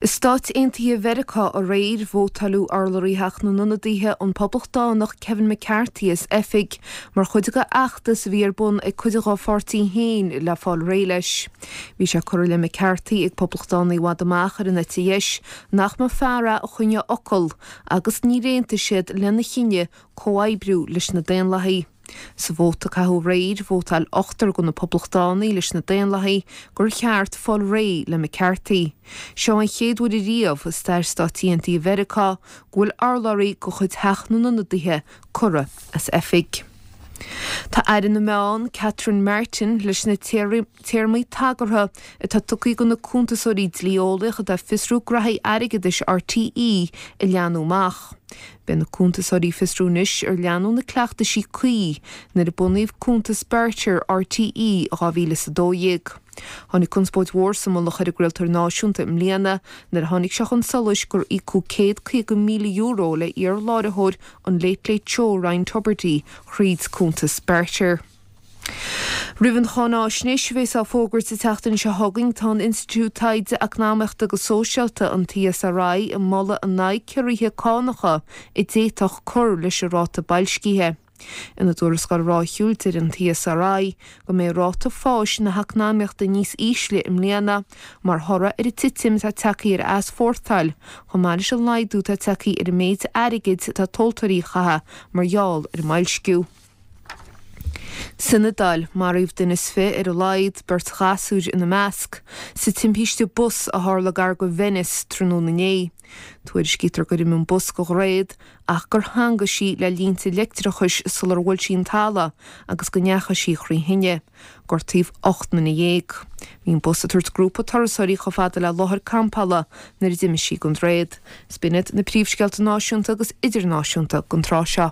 I Stáit Aontaithe Mheiriceá aréir, vótáileadh urlabhraí Theach na nIonadaithe, an Poblachtánach Kevin McCarthy as oifig, mar chuid de fheachtas a bhí ar bun ag cuid dá pháirtí féin le fáil réidh leis. Bhí sé curtha i leith McCarthy ag Poblachtánaigh i bhfad amach ar an eite dheis nach mba fear é a choinneodh fhocal agus níor aontaigh siad lena chinneadh comhoibriú leis na Daonlathaigh. Sa vóta a caitheadh aréir, vótáil ochtar de na Poblachtánaigh leis na Daonlathaigh gur cheart fáil réidh le McCarthy. Seo an chéad uair ariamh i stair Stáit Aontaithe Mheiriceá go bhfuil urlabhraí de chuid Theach na nIonadaithe curtha as oifig. Tá Aire na Meán, Catherine Martin, leis na téarmaí tagartha atá tugtha do na cuntasóirí dlí-eolaíoch atá ag fiosrú graithí airgeadais RTÉ a leathnú amach. Beidh na cuntasóirí ag fiosrú anois ar leanadh na cleachtaisí cuí nuair a bunaíodh cuntas beartair RTÉ i 2012. Tháinig conspóid mhór sa mullach ar an gcraoltóir náisiúnta i mbliana nuair a tháinig sé chun solais gur íocadh €150,000 le iar-láithreoir an Late Late Show Ryan Tubridy thríd cuntas beartair. Roimh an cháináisnéis a bheas á fógairt an tseachtain seo chugainn, tá an Institiúid Taighde Eacnamaíochta agus Sóisialta, an tESRI, ag moladh in aghaidh ciorruithe cánacha a d'fhéadfadh cur leis an ráta boilscithe. Ina dtuarascáil ráithiúil, deir an tESRI go mbeidh ráta fáis na heacnamaíochta níos ísle i mbliana mar thoradh ar an titim atá tagtha ar easpórtáil, chomh maith leis an laghdú atá tagtha ar an méid airgid atá tomhaltóirí a chaitheamh mar gheall ar an mboilsciú. San Iodáil, maraíodh duine is fi ar a laghad, beirt ghasúr ina measc, sa timpiste bus a tharla gar go Venice tráthnóna inné. Tuairiscítear gur imigh an bus de dhroichead ach gur theangaigh sí le línte leictreachais sular bhuail sí an talamh agus go ndeachaigh sí thrí thine. Gortaíodh 18 nduine. Bhí an bus ag tabhairt grúpa turasóirí chomh fada le láthair campála nuair a d'imigh sí den droichead. Is b'in iad na príomhscéalta náisiúnta agus idirnáisiúnta don tráth seo.